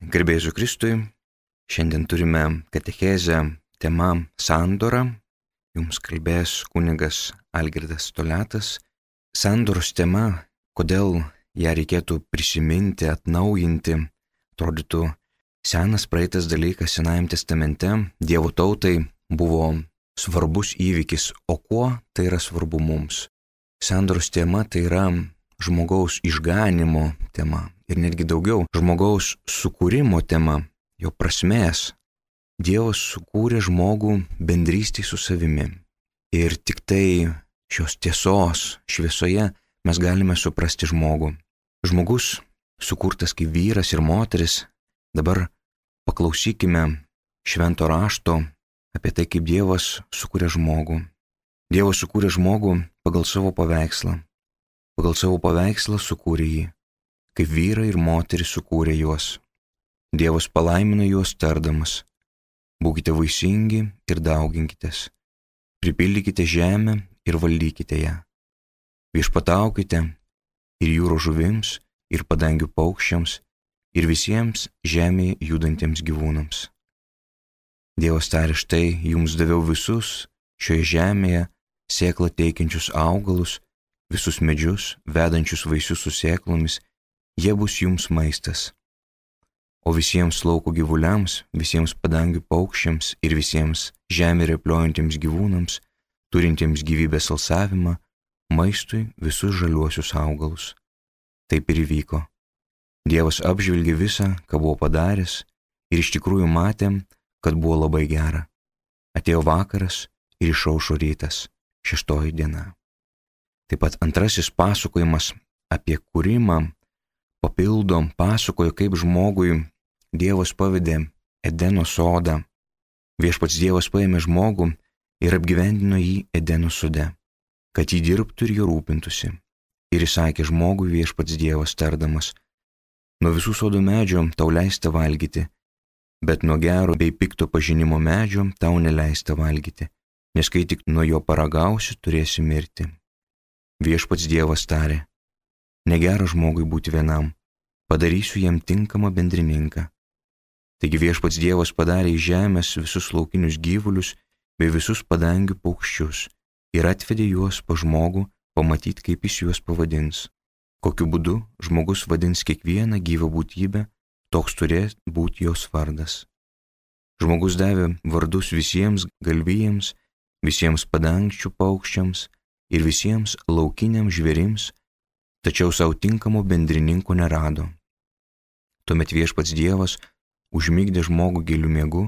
Garbė Jėzui Kristui, šiandien turime katechezę tema sandora. Jums kalbės kunigas Algirdas Toliatas. Sandoros tema, kodėl ją reikėtų prisiminti, atnaujinti, atrodytų senas praeitas dalykas Senajame testamente, Dievo tautai buvo svarbus įvykis, o kuo tai yra svarbu mums? Sandoros tema tai yra žmogaus išganimo tema ir netgi daugiau žmogaus sukūrimo tema, jo prasmės. Dievas sukūrė žmogų bendrystėj su savimi ir tik tai šios tiesos šviesoje mes galime suprasti žmogų. Žmogus sukurtas kaip vyras ir moteris. Dabar paklausykime švento rašto apie tai, kaip Dievas sukūrė žmogų. Dievas sukūrė žmogų pagal savo paveikslą. Pagal savo paveikslą sukūrė jį, kaip vyrai ir moteris sukūrė juos. Dievas palaimino juos tardamas: būkite vaisingi ir dauginkitės, pripildykite žemę ir valdykite ją. Viešpataukite ir jūros žuvims, ir padangių paukščiams, ir visiems žemėje judantiems gyvūnams. Dievas tarė: štai jums daviau visus šioje žemėje sėklą teikiančius augalus, visus medžius, vedančius vaisius su sėklomis, jie bus jums maistas. O visiems lauko gyvuliams, visiems padangių paukščiams ir visiems žemė repliuojantiems gyvūnams, turintiems gyvybės alsavimą, maistui visus žaliuosius augalus. Taip ir įvyko. Dievas apžvelgė visą, ką buvo padaręs, ir iš tikrųjų matė, kad buvo labai gera. Atėjo vakaras ir išaušo rytas, 6 diena. Taip pat antrasis pasakojimas apie kūrimą pasakojo, kaip žmogui Dievas pavedė Edeno sodą. Viešpats Dievas paėmė žmogų ir apgyvendino jį Edeno sode, kad jį dirbtų ir jo rūpintųsi. Ir įsakė žmogui Viešpats Dievas tardamas: nuo visų sodo medžio tau leista valgyti, bet nuo gero bei pikto pažinimo medžio tau neleista valgyti, nes kai tik nuo jo paragausi, turėsi mirti. Viešpats Dievas tarė: negera žmogui būti vienam, padarysiu jam tinkamą bendrininką. Taigi Viešpats Dievas padarė iš žemės visus laukinius gyvulius bei visus padangių paukščius ir atvedė juos pas žmogų pamatyti, kaip jis juos pavadins. Kokiu būdu žmogus vadins kiekvieną gyvą būtybę, toks turės būti jos vardas. Žmogus davė vardus visiems galvijams, visiems padangčių paukščiams ir visiems laukiniams žvėrims, tačiau savo tinkamo bendrininko nerado. Tuomet Viešpats Dievas užmigdė žmogų giliu miegu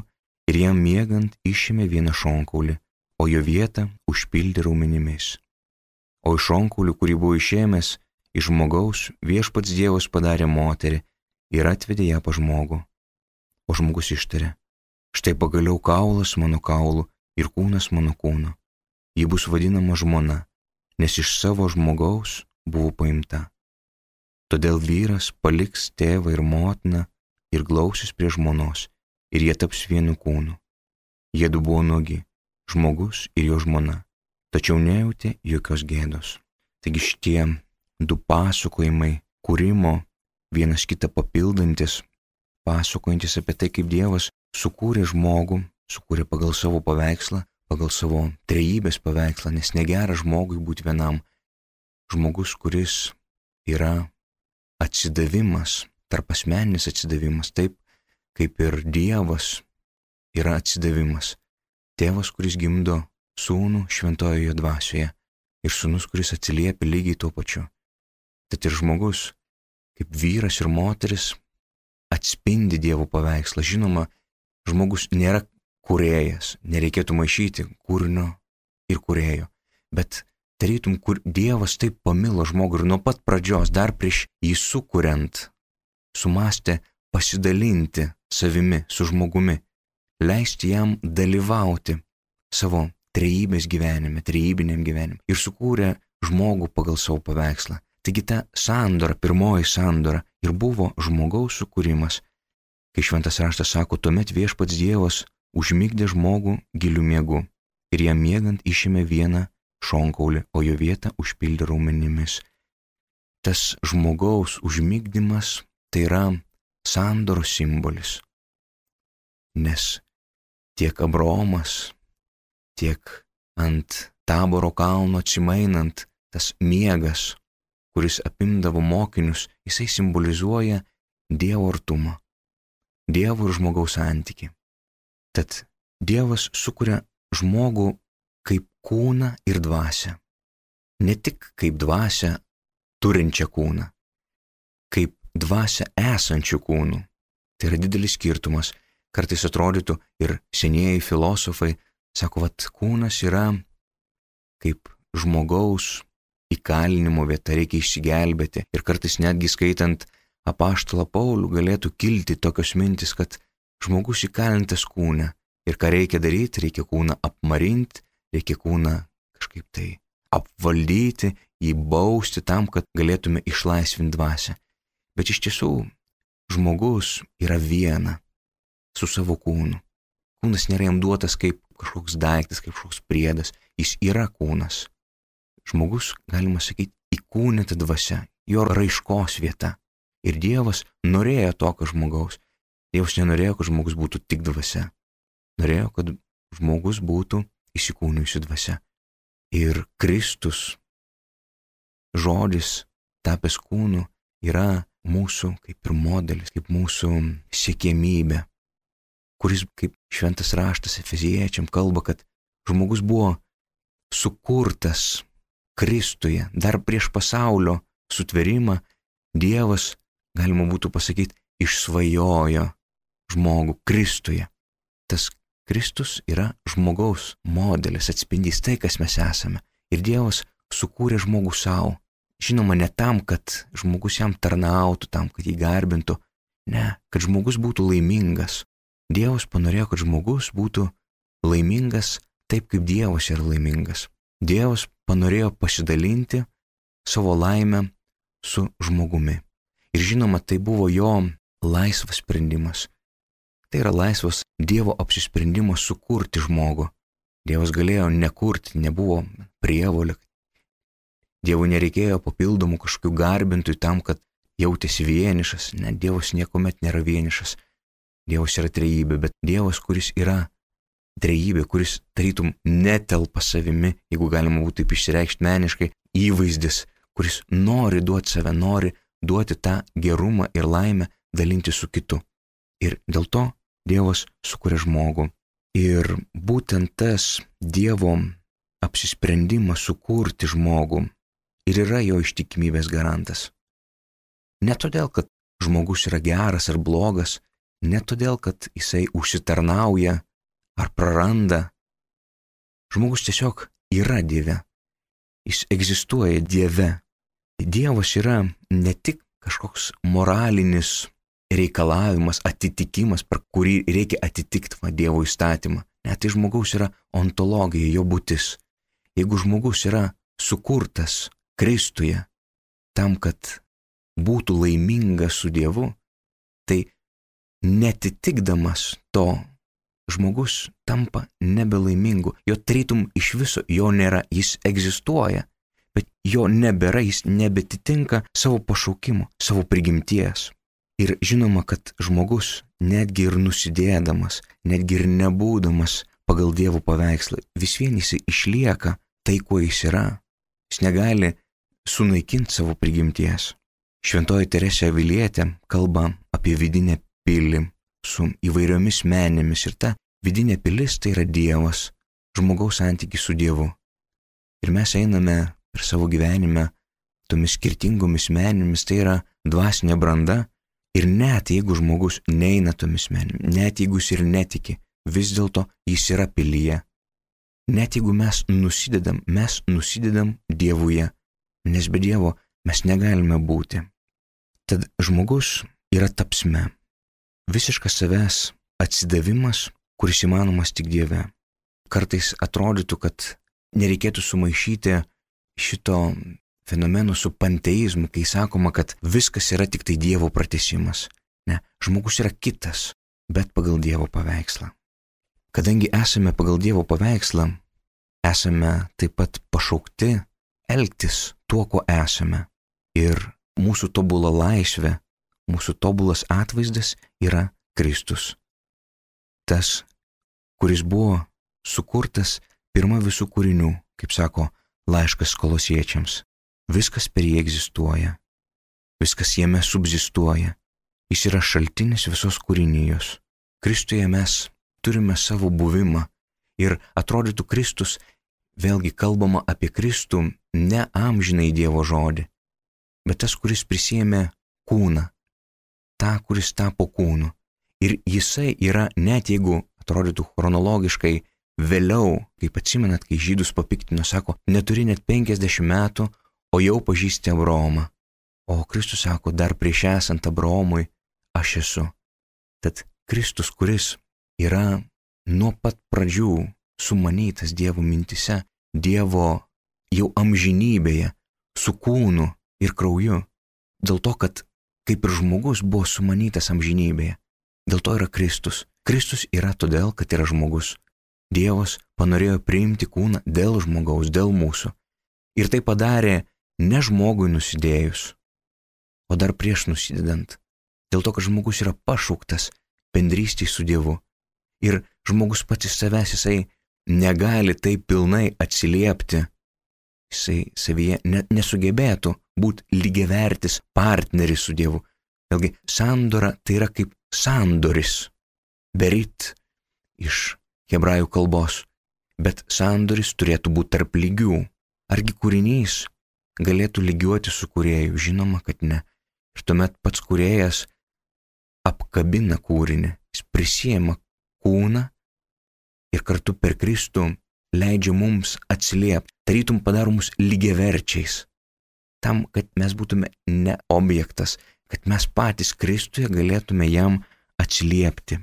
ir jam miegant išėmė vieną šonkaulį, o jo vietą užpildė raumenimis. O iš šonkaulį, kurį buvo išėmęs iš žmogaus, Viešpats Dievas padarė moterį ir atvedė ją pas žmogų. O žmogus ištarė: štai pagaliau kaulas mano kaulų ir kūnas mano kūno. Ji bus vadinama žmona, nes iš savo žmogaus buvo paimta. Todėl vyras paliks tėvą ir motiną ir glausis prie žmonos, ir jie taps vienu kūnu. Jiedu buvo nuogi, žmogus ir jo žmona, tačiau nejautė jokios gėdos. Taigi šitie du pasakojimai kūrimo, vienas kitą papildantis, pasakojantis apie tai, kaip Dievas sukūrė žmogų, sukūrė pagal savo paveikslą, pagal savo trejybės paveikslą, nes negera žmogui būti vienam. Žmogus, kuris yra atsidavimas, tarpasmeninis atsidavimas, taip kaip ir Dievas yra atsidavimas. Tėvas, kuris gimdo sūnų šventojoje dvasioje ir sūnus, kuris atsiliepia lygiai tuo pačiu. Tad ir žmogus, kaip vyras ir moteris, atspindi Dievo paveikslą. Žinoma, žmogus nėra kūrėjas, nereikėtų maišyti kūrinio ir kūrėjo, bet tarytum, kur Dievas taip pamilo žmogų ir nuo pat pradžios, dar prieš jį sukuriant, sumastė pasidalinti savimi su žmogumi, leisti jam dalyvauti savo trejybės gyvenime, trejybiniam gyvenime ir sukūrė žmogų pagal savo paveikslą. Taigi ta sandora, pirmoji sandora ir buvo žmogaus sukūrimas. Kai šventas raštas sako, tuomet Viešpats Dievas užmigdė žmogų giliu miegu ir jam miegant išėmė vieną šonkaulį, o jo vietą užpildė raumenimis. Tas žmogaus užmigdymas tai yra sandoros simbolis. Nes tiek Abraomas, tiek ant Taboro kalno atsimainant tas miegas, kuris apimdavo mokinius, jisai simbolizuoja Dievo artumą, Dievo ir žmogaus santykį. Tad Dievas sukuria žmogų kaip kūną ir dvasią. Ne tik kaip dvasią turinčią kūną, kaip dvasią esančių kūnų. Tai yra didelis skirtumas. Kartais atrodytų ir senieji filosofai sako, kūnas yra kaip žmogaus įkalinimo vieta, reikia išsigelbėti. Ir kartais netgi skaitant apaštalą Paulių galėtų kilti tokios mintis, kad žmogus įkalintas kūne. Ir ką reikia daryti, reikia kūną apmarinti, reikia kūną kažkaip tai apvaldyti, jį bausti tam, kad galėtume išlaisvinti dvasią. Bet iš tiesų žmogus yra viena su savo kūnu. Kūnas nėra jam duotas kaip kažkoks daiktas, kaip kažkoks priedas. Jis yra kūnas. Žmogus, galima sakyti, įkūnyta dvasia, jo raiškos vieta. Ir Dievas norėjo tokio žmogaus. Dievas nenorėjo, kad žmogus būtų tik dvasia. Norėjo, kad žmogus būtų įsikūnijusi dvasia. Ir Kristus, žodis tapęs kūnu, yra mūsų kaip ir modelis, kaip mūsų siekiamybė, kuris, kaip šventas raštas Efeziečiam kalba, kad žmogus buvo sukurtas Kristuje. Dar prieš pasaulio sutvėrimą Dievas, galima būtų pasakyti, išsvajojo žmogų Kristuje. Tas Kristus yra žmogaus modelis, atspindys tai, kas mes esame. Ir Dievas sukūrė žmogų savo. Žinoma, ne tam, kad žmogus jam tarnautų, tam, kad jį garbintų. Ne, kad žmogus būtų laimingas. Dievas panorėjo, kad žmogus būtų laimingas taip, kaip Dievas yra laimingas. Dievas panorėjo pasidalinti savo laimę su žmogumi. Ir žinoma, tai buvo jo laisvas sprendimas. Tai yra laisvas Dievo apsisprendimas sukurti žmogų. Dievas galėjo nekurti, nebuvo prievolė. Dievui nereikėjo papildomų kažkokių garbintojų tam, kad jautėsi vienišas. Ne, Dievas niekuomet nėra vienišas. Dievas yra trejybė, bet Dievas, kuris yra trejybė, kuris tarytum netelpa savimi, jeigu galima būtų taip išsireikšti meniškai, įvaizdis, kuris nori duoti save, nori duoti tą gerumą ir laimę dalinti su kitu. Ir dėl to Dievas sukuria žmogų. Ir būtent tas Dievo apsisprendimas sukurti žmogų ir yra jo ištikimybės garantas. Ne todėl, kad žmogus yra geras ar blogas, ne todėl, kad jisai užsitarnauja ar praranda. Žmogus tiesiog yra Dieve. Jis egzistuoja Dieve. Dievas yra ne tik kažkoks moralinis reikalavimas, atitikimas, per kurį reikia atitikti Dievo įstatymą. Ne, tai žmogaus yra ontologija, jo būtis. Jeigu žmogus yra sukurtas Kristuje tam, kad būtų laimingas su Dievu, tai netitikdamas to, žmogus tampa nebelaimingu. Jo tarytum iš viso jo nėra, jis egzistuoja, bet jo nebėra, jis nebetitinka savo pašaukimo, savo prigimties. Ir žinoma, kad žmogus netgi ir nusidėdamas, netgi ir nebūdamas pagal Dievo paveikslą, vis vien jis išlieka tai, kuo jis yra. Jis negali sunaikinti savo prigimties. Šventoji Teresė Avilietė kalba apie vidinę pilį su įvairiomis menėmis ir ta vidinė pilis tai yra Dievas, žmogaus santykis su Dievu. Ir mes einame per savo gyvenime tomis skirtingomis menėmis, tai yra dvasinė branda. Ir net jeigu žmogus neina tomis menėmis, net jeigu jis ir netiki, vis dėlto jis yra pilyje. Net jeigu mes nusidedam Dievuje, nes be Dievo mes negalime būti. Tad žmogus yra tapsme, visiškas savęs atsidavimas, kuris įmanomas tik Dieve. Kartais atrodytų, kad nereikėtų sumaišyti šito fenomeno su panteizmu, kai sakoma, kad viskas yra tik tai Dievo pratęsimas. Ne, žmogus yra kitas, bet pagal Dievo paveikslą. Kadangi esame pagal Dievo paveikslą, esame taip pat pašaukti elgtis tuo, ko esame. Ir mūsų tobula laisvė mūsų tobulas atvaizdas yra Kristus. Tas, kuris buvo sukurtas pirma visų kūrinių, kaip sako laiškas Kolosiečiams. Viskas per jį egzistuoja. Viskas jame subzistuoja. Jis yra šaltinis visos kūrinijos. Kristuje mes turime savo buvimą. Ir atrodytų Kristus, vėlgi kalbama apie Kristų, ne amžinai Dievo žodį, bet tas, kuris prisėmė kūną, tą, kuris tapo kūnu. Ir jisai yra, net jeigu atrodytų chronologiškai vėliau, kaip atsimenat, kai žydus papiktino, sako, neturi net 50 metų, o jau pažįsti Abraomą. O Kristus sako, dar prieš esant Abraomui aš esu. Tad Kristus, kuris yra nuo pat pradžių sumanytas Dievo mintise, Dievo jau amžinybėje, su kūnu ir krauju, dėl to, kad kaip ir žmogus buvo sumanytas amžinybėje, dėl to yra Kristus. Kristus yra todėl, kad yra žmogus. Dievas panorėjo priimti kūną dėl žmogaus, dėl mūsų. Ir tai padarė ne žmogui nusidėjus, o dar prieš nusidedant. Dėl to, kad žmogus yra pašauktas bendrystei su Dievu. Ir žmogus pats iš savęs, jisai negali taip pilnai atsiliepti. Jisai savyje nesugebėtų būti lygiavertis partneris su Dievu. Vėlgi, sandora tai yra kaip sandoris. Berit iš hebrajų kalbos. Bet sandoris turėtų būti tarp lygių. Argi kūrinys galėtų lygiuoti su kūrėju? Žinoma, kad ne. Ir tuomet pats kūrėjas apkabina kūrinį. Jis prisiema kūną ir kartu per Kristų leidžia mums atsiliepti. Tarytum padaro mus lygiaverčiais. Tam, kad mes būtume ne objektas, kad mes patys Kristuje galėtume jam atsiliepti.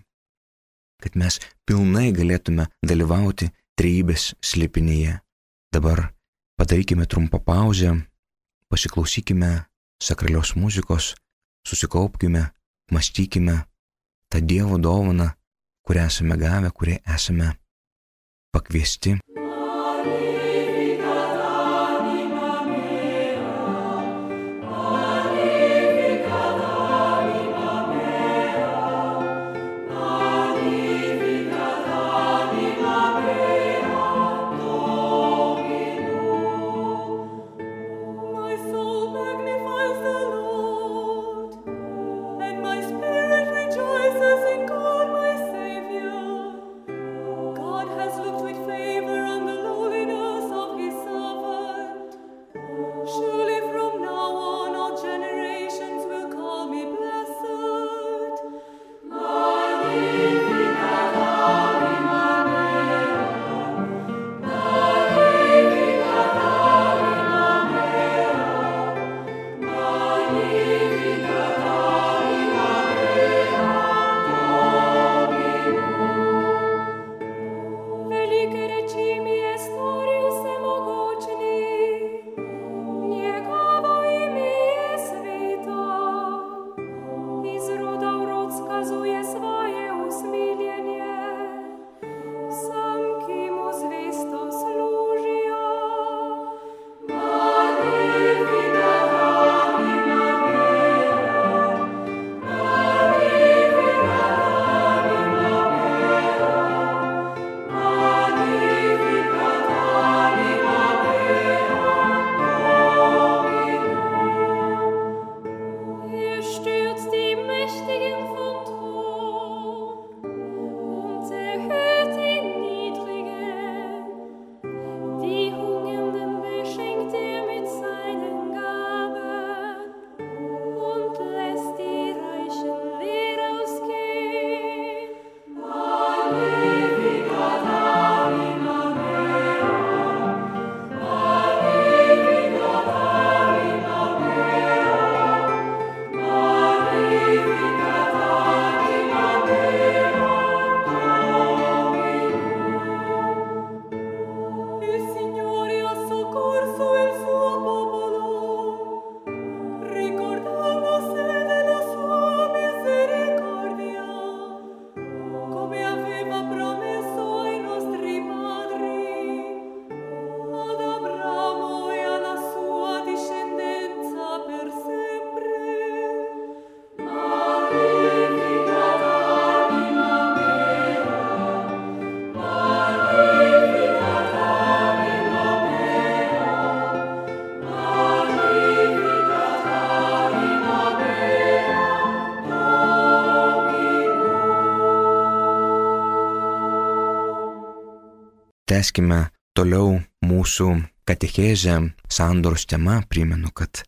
Kad mes pilnai galėtume dalyvauti trejybės slėpinyje. Dabar padarykime trumpą pauzę, pasiklausykime sakralios muzikos, susikaupkime, mąstykime tą Dievo dovaną, kurią esame gavę, kurią esame pakviesti. God has looked with favor on tęskime toliau mūsų katechezę sandoros tema. Primenu, kad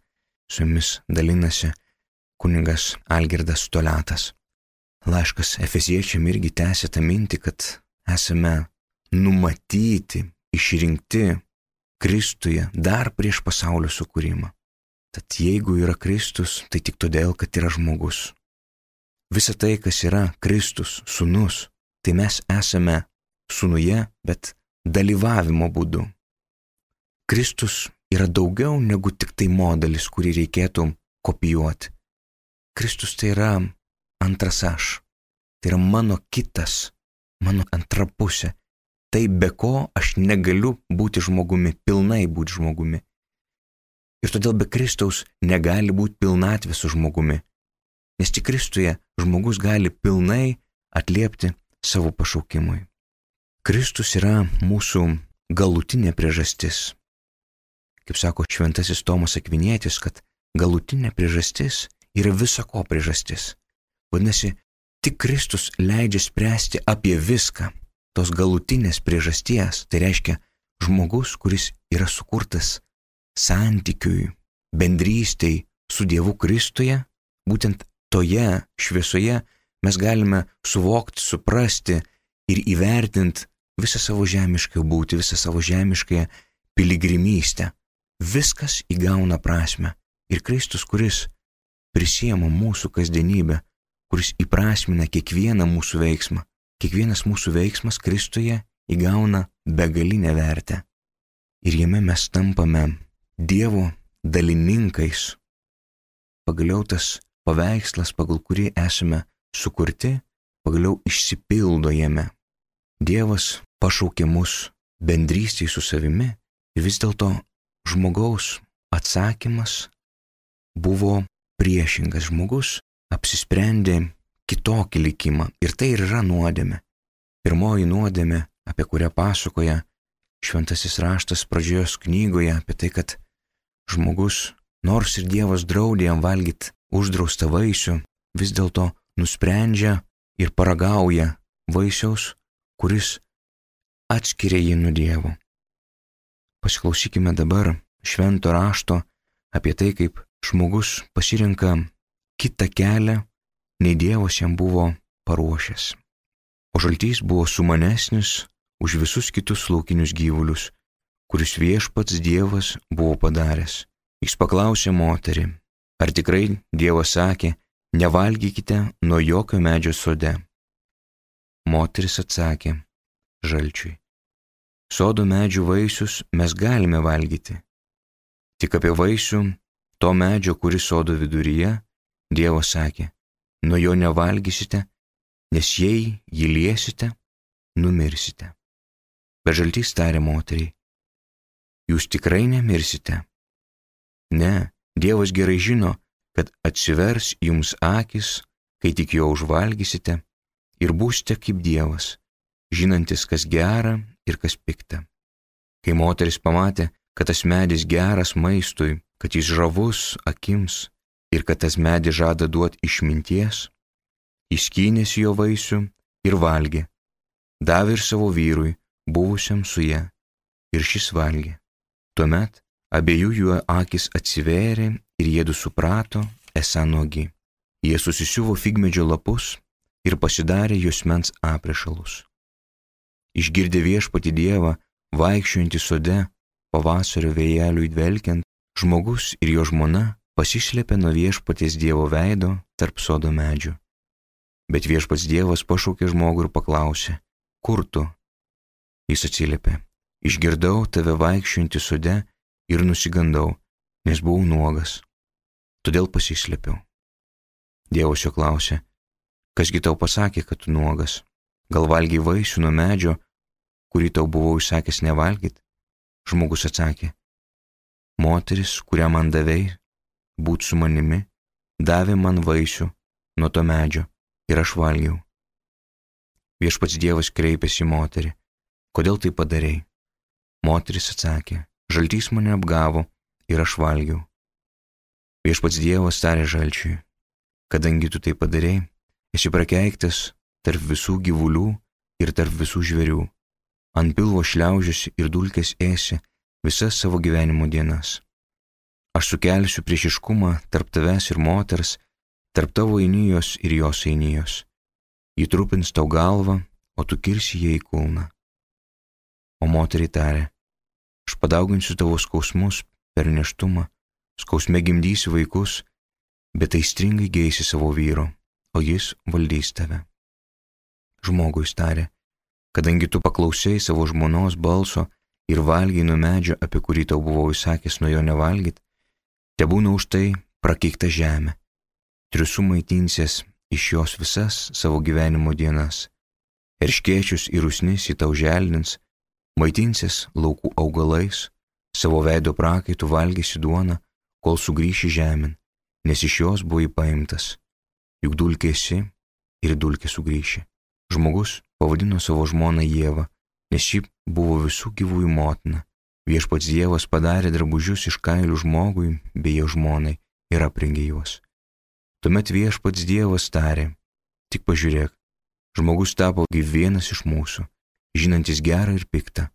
su jumis dalinasi kunigas Algirdas Toliatas. Laiškas Efeziečiam irgi tęsia tą mintį, kad esame numatyti, išrinkti Kristuje dar prieš pasaulio sukūrimą. Tad jeigu yra Kristus, tai tik todėl, kad yra žmogus. Visa tai, kas yra Kristus, sūnus, tai mes esame sūnuje, bet dalyvavimo būdu. Kristus yra daugiau negu tik tai modelis, kurį reikėtų kopijuoti. Kristus tai yra antras aš. Tai yra mano kitas, mano antra pusė. Tai be ko aš negaliu būti žmogumi, pilnai būti žmogumi. Ir todėl be Kristaus negali būti pilnatvė su žmogumi. Nes tik Kristuje žmogus gali pilnai atliepti savo pašaukimui. Kristus yra mūsų galutinė priežastis. Kaip sako šventasis Tomas Akvinietis, kad galutinė priežastis yra visako priežastis. Vadinasi, tik Kristus leidžia spręsti apie viską. Tos galutinės priežasties, tai reiškia žmogus, kuris yra sukurtas santykiui, bendrystei su Dievu Kristuje, būtent toje šviesoje mes galime suvokti, suprasti ir įvertinti visą savo žemišką būtį, visą savo žemišką piligrimystę. Viskas įgauna prasmę. Ir Kristus, kuris prisiema mūsų kasdienybę, kuris įprasmina kiekvieną mūsų veiksmą, kiekvienas mūsų veiksmas Kristuje įgauna begalinę vertę. Ir jame mes tampame Dievo dalininkais. Pagaliau tas paveikslas, pagal kurį esame sukurti, pagaliau išsipildo jame. Dievas pašaukė mus bendrystei su savimi ir vis dėlto žmogaus atsakymas buvo priešingas. Žmogus apsisprendė kitokį likimą ir tai ir yra nuodėmė. Pirmoji nuodėmė, apie kurią pasakoja šventasis raštas pradžios knygoje, apie tai, kad žmogus, nors ir Dievas draudė jam valgyti uždraustą vaisių, vis dėlto nusprendžia ir paragauja vaisiaus, kuris atskiria jį nuo Dievo. Pasiklausykime dabar švento rašto apie tai, kaip žmogus pasirenka kitą kelią, nei Dievas jam buvo paruošęs. O žaltys buvo sumanesnis už visus kitus laukinius gyvulius, kuris viešpats Dievas buvo padaręs. Jis paklausė moterį, ar tikrai Dievas sakė, nevalgykite nuo jokio medžio sode. Moteris atsakė žalčiui, sodo medžių vaisius mes galime valgyti. Tik apie vaisių to medžio, kuris sodo viduryje, Dievas sakė, nuo jo nevalgysite, nes jei jį liesite, numirsite. Bet žaltys tarė moteriai, jūs tikrai nemirsite. Ne, Dievas gerai žino, kad atsivers jums akis, kai tik jo užvalgysite, ir būsite kaip Dievas, žinantis, kas gera ir kas pikta. Kai moteris pamatė, kad tas medis geras maistui, kad jis žavus akims ir kad tas medis žada duoti išminties, jis skynėsi jo vaisių ir valgė, davė ir savo vyrui, buvusiam su ja, ir šis valgė. Tuomet abiejų jų akis atsivėrė ir jiedu suprato, esą nuogi. Jie susisiuvo figmedžio lapus ir pasidarė juosmens aprišalus. Išgirdę viešpatį Dievą, vaikščiojantį sode, pavasario vėjeliui dvelkiant, žmogus ir jo žmona pasislėpė nuo viešpaties Dievo veido tarp sodo medžių. Bet viešpats Dievas pašaukė žmogų ir paklausė, kur tu? Jis atsiliepė, išgirdau tave vaikščiojantį sode ir nusigandau, nes buvau nuogas. Todėl pasislėpiau. Dievas jo klausė, kasgi tau pasakė, kad tu nuogas? Gal valgiai vaisių nuo medžio, kurį tau buvau įsakęs nevalgyti? Žmogus atsakė, moteris, kurią man davei, būt su manimi, davė man vaisių nuo to medžio ir aš valgiau. Viešpats Dievas kreipėsi į moterį, kodėl tai padarei? Moteris atsakė, žaltys mane apgavo ir aš valgiau. Viešpats Dievas tarė žalčiui, kadangi tu tai padarei, esi prakeiktas tarp visų gyvulių ir tarp visų žvėrių. ant pilvo šliaužiusi ir dulkės ėsi visas savo gyvenimo dienas. Aš sukelsiu priešiškumą tarp tavęs ir moters, tarp tavo einijos ir jos einijos. Ji trupins tau galvą, o tu kirsi ją į kulną. O moteriai tarė, aš padauginsiu tavo skausmus per nėštumą, skausme gimdysi vaikus, bet aistringai geisi savo vyro, o jis valdys tave. Žmogui tarė, kadangi tu paklausai savo žmonos balso ir valgiai nuo medžio, apie kurį tau buvau įsakęs nuo jo nevalgyt, tebūna už tai prakeikta žemė. Triusu maitinsies iš jos visas savo gyvenimo dienas. Erškėčius ir usnis į tau želdins, maitinsies laukų augalais, savo veido prakaitų valgysi duoną, kol sugrįši žemėn, nes iš jos buvai paimtas. Juk dulkė esi ir dulkė sugrįši. Žmogus pavadino savo žmoną Ievą, nes ši buvo visų gyvųjų motina. Viešpats Dievas padarė drabužius iš kailių žmogui bei jo žmonai ir aprengė juos. Tuomet Viešpats Dievas tarė, tik pažiūrėk, žmogus tapo kaip vienas iš mūsų, žinantis gerą ir piktą,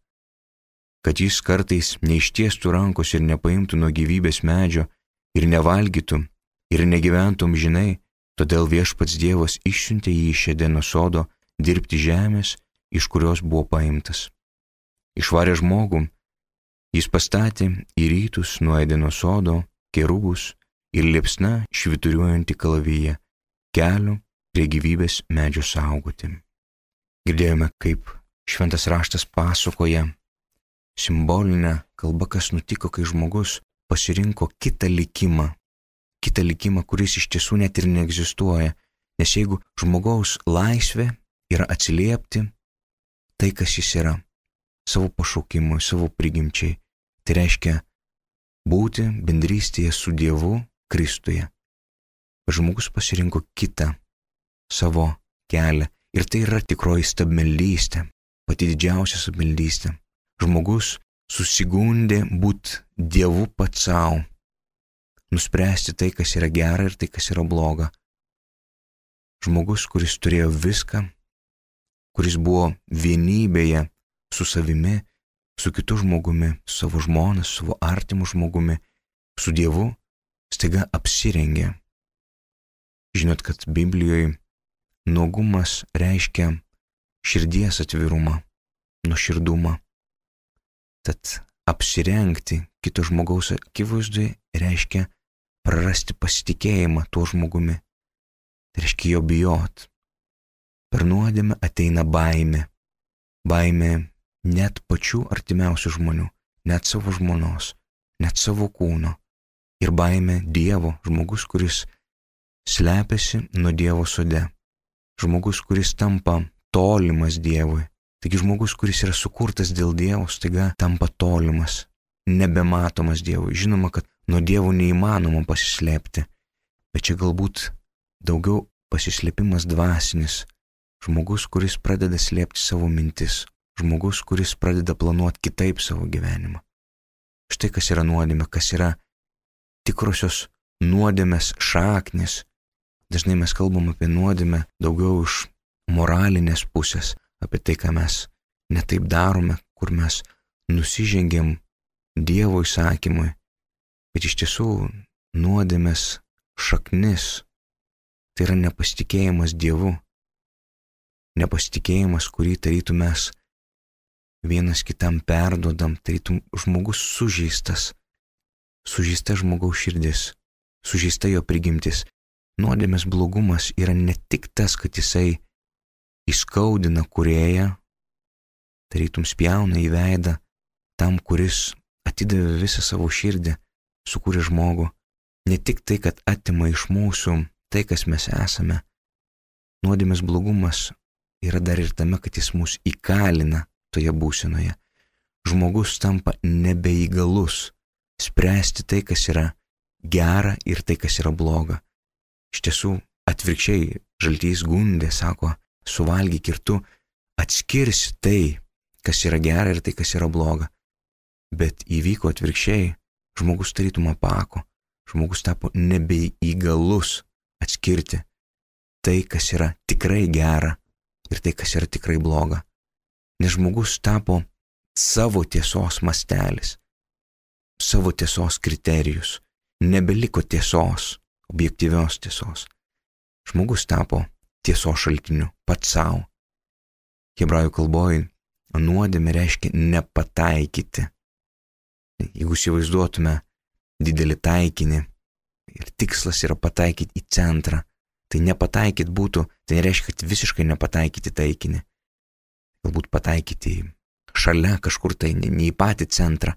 kad jis kartais neištiestų rankos ir nepaimtų nuo gyvybės medžio ir nevalgytų ir negyventų amžinai, todėl Viešpats Dievas išsiuntė jį iš Edeno sodo dirbti žemės, iš kurios buvo paimtas. Išvarė žmogų, jis pastatė į rytus nuo Edeno sodo kerubus ir liepsna švyturiuojantį kalaviją, kelių prie gyvybės medžio saugoti. Girdėjome, kaip šventas raštas pasakoja simbolinę kalbą, kas nutiko, kai žmogus pasirinko kitą likimą, kuris iš tiesų net ir neegzistuoja, nes jeigu žmogaus laisvė yra atsiliepti tai, kas jis yra, savo pašaukimui, savo prigimčiai, tai reiškia būti bendrystėje su Dievu Kristuje. Žmogus pasirinko kitą savo kelią ir tai yra tikroji stabmeldystė, pati didžiausia stabmeldystė. Žmogus susigundė būti Dievu pats savo, nuspręsti tai, kas yra gera ir tai, kas yra bloga. Žmogus, kuris turėjo viską, kuris buvo vienybėje su savimi, su kitu žmogumi, su savo žmona, su savo artimu žmogumi, su Dievu, staiga apsirengė. Žinot, kad Biblijoje nuogumas reiškia širdies atvirumą, nuoširdumą. Tad apsirengti kito žmogaus akivaizdoje reiškia prarasti pasitikėjimą tuo žmogumi. Tai reiškia jo bijot. Per nuodėmę ateina baimė. Baimė net pačių artimiausių žmonių, net savo žmonos, net savo kūno. Ir baimė Dievo, žmogus, kuris slepiasi nuo Dievo sode. Žmogus, kuris tampa tolimas Dievui. Taigi žmogus, kuris yra sukurtas dėl Dievo, staiga tampa tolimas, nebematomas Dievui. Žinoma, kad nuo Dievo neįmanoma pasislėpti, bet čia galbūt daugiau pasislėpimas dvasinis. Žmogus, kuris pradeda slėpti savo mintis. Žmogus, kuris pradeda planuoti kitaip savo gyvenimą. Štai kas yra nuodėmė, kas yra tikrosios nuodėmės šaknis. Dažnai mes kalbam apie nuodėmę daugiau iš moralinės pusės, apie tai, ką mes netaip darome, kur mes nusižengiam Dievo įsakymui. Bet iš tiesų nuodėmės šaknis tai yra nepasitikėjimas Dievu. Nepasitikėjimas, kurį tarytum mes vienas kitam perduodam, tarytum žmogus sužeistas. Sužeista žmogaus širdis, sužeista jo prigimtis. Nuodėmės blogumas yra ne tik tas, kad jisai įskaudina kūrėją, tarytum spjauna į veidą tam, kuris atidavė visą savo širdį, sukūrė žmogų. Ne tik tai, kad atima iš mūsų tai, kas mes esame. Nuodėmės blogumas yra dar ir tame, kad jis mus įkalina toje būsenoje. Žmogus tampa nebeįgalus spręsti tai, kas yra gera ir tai, kas yra bloga. Iš tiesų, atvirkščiai, Žaltys gundė, sako, suvalgyk ir tu atskirsi tai, kas yra gera ir tai, kas yra bloga. Bet įvyko atvirkščiai, žmogus tarytum apako, žmogus tapo nebeįgalus atskirti tai, kas yra tikrai gera ir tai, kas yra tikrai bloga. nes žmogus tapo savo tiesos mastelis, savo tiesos kriterijus. Nebeliko tiesos, objektyvios tiesos. Žmogus tapo tiesos šaltiniu pats savo. Hebrajų kalboje nuodėmė reiškia nepataikyti. Jeigu įsivaizduotume didelį taikinį ir tikslas yra pataikyti į centrą, tai nepataikyti būtų, tai nereiškia, kad visiškai nepataikyti taikinį. Galbūt pataikyti šalia kažkur tai, ne į patį centrą,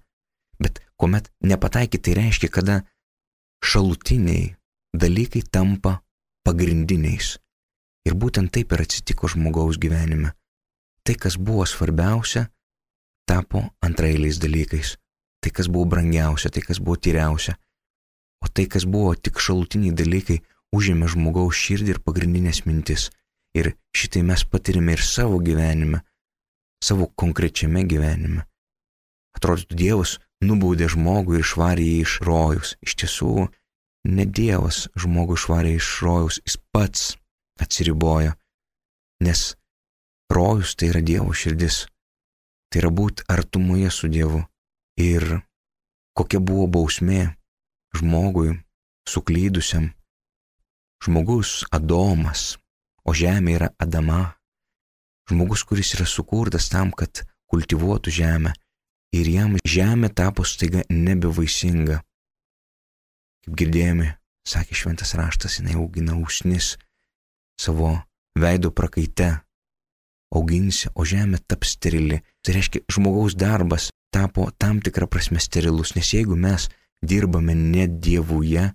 bet kuomet nepataikyti, tai reiškia, kada šalutiniai dalykai tampa pagrindiniais. Ir būtent taip ir atsitiko žmogaus gyvenime. Tai, kas buvo svarbiausia, tapo antraeiliais dalykais. Tai, kas buvo brangiausia, tai, kas buvo tyriausia. O tai, kas buvo tik šalutiniai dalykai, užėmė žmogaus širdį ir pagrindinės mintis. Ir šitai mes patirime ir savo gyvenime, savo konkrečiame gyvenime. Atrodytų, Dievas nubaudė žmogų ir išvarė jį iš rojaus. Iš tiesų, ne Dievas žmogų išvarė iš rojaus, jis pats atsiribojo, nes rojus tai yra Dievo širdis, tai yra būti artumoje su Dievu. Ir kokia buvo bausmė žmogui suklydusiam. Žmogus Adomas, o žemė yra Adama. Žmogus, kuris yra sukurtas tam, kad kultivuotų žemę. Ir jam žemė tapo staiga nebevaisinga. Kaip girdėjome, sakė šventas raštas, jinai augina usnis savo veido prakaite. Auginsi, o žemė taps sterili. Tai reiškia, žmogaus darbas tapo tam tikrą prasme sterilus, nes jeigu mes dirbame ne Dievuje,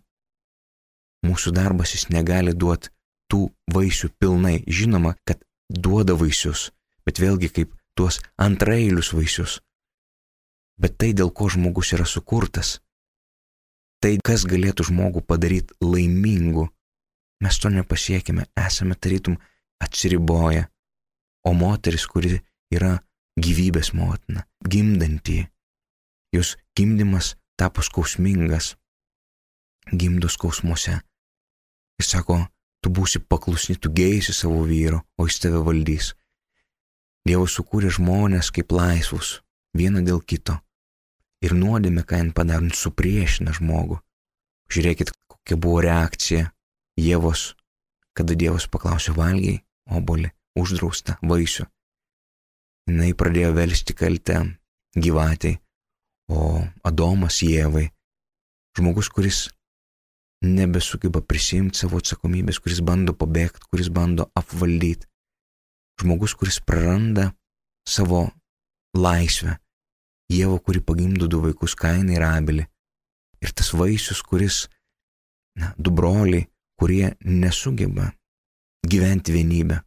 mūsų darbas jis negali duoti tų vaisių pilnai. Žinoma, kad duoda vaisius, bet vėlgi kaip tuos antraeilius vaisius. Bet tai, dėl ko žmogus yra sukurtas, tai, kas galėtų žmogų padaryti laimingu, mes to nepasiekime, esame tarytum atsiriboję. O moteris, kuri yra gyvybės motina, gimdanti, jos gimdymas tapo skausmingas, gimdo skausmuose. Jis sako, tu būsi paklusni, tu geisi savo vyro, o jis tave valdys. Dievas sukūrė žmonės kaip laisvus, vieną dėl kito. Ir nuodėmė, ką jin padaro, supriešina žmogų. Žiūrėkit, kokia buvo reakcija Ievos, kada Dievas paklausė, valgiai obuolį, uždraustą vaisių. Jinai pradėjo velsti kaltę gyvatei, o Adomas Ievai, žmogus, kuris nebesugeba prisimti savo atsakomybės, kuris bando pabėgti, kuris bando apvaldyti. Žmogus, kuris praranda savo laisvę. Ieva, kuri pagimdo du vaikus, Kainą ir Abelį. Ir tas vaisius, kuris, du broliai, kurie nesugeba gyventi vienybę.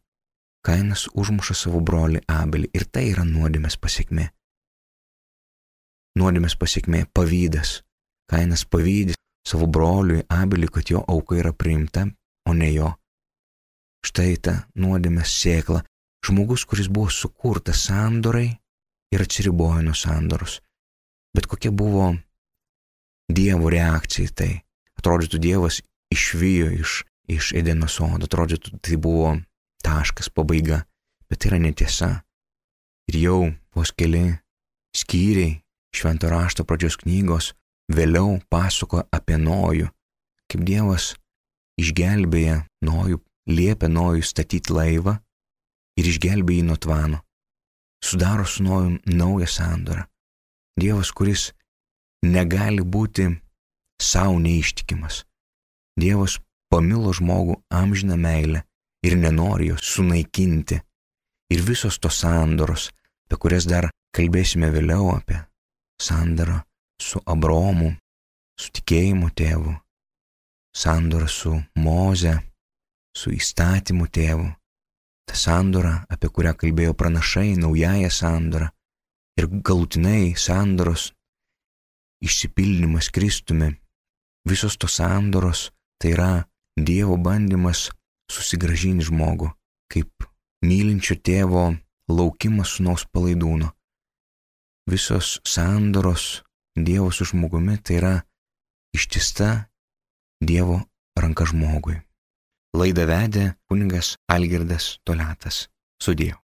Kainas užmuša savo brolį Abelį ir tai yra nuodėmės pasekmė. Nuodėmės pasekmė - pavydas. Kainas pavydi savo broliui Abeliui, kad jo auka yra priimta, o ne jo. Štai ta nuodėmės sėkla. Žmogus, kuris buvo sukurtas sandorai ir atsiribojo nuo sandoros. Bet kokia buvo Dievo reakcija į tai? Atrodytų, Dievas išvijo iš Edeno sodo, atrodytų, tai buvo taškas, pabaiga, bet tai yra netiesa. Ir jau vos keli skyriai Švento rašto pradžios knygos vėliau pasako apie Nojų, kaip Dievas išgelbėja Nojų, liepia Nojui statyti laivą ir išgelbėja jį nuo tvano. Sudaro su Nojum naują sandorą. Dievas, kuris negali būti savo neištikimas. Dievas pamilo žmogų amžiną meilę ir nenori jos sunaikinti. Ir visos tos sandoros, apie kurias dar kalbėsime vėliau, apie sandorą su Abraomu, su tikėjimu tėvu, sandorą su Moze, su įstatymu tėvu, ta sandora, apie kurią kalbėjo pranašai, naująją sandorą ir galutinai sandoros išsipildymas Kristumi. Visos tos sandoros tai yra Dievo bandymas susigrąžinti žmogų, kaip mylinčio tėvo laukimas sūnaus palaidūno. Visos sandoros Dievo su žmogumi tai yra ištista Dievo ranka žmogui. Laidą vedė kunigas Algirdas Toliatas. Sudie.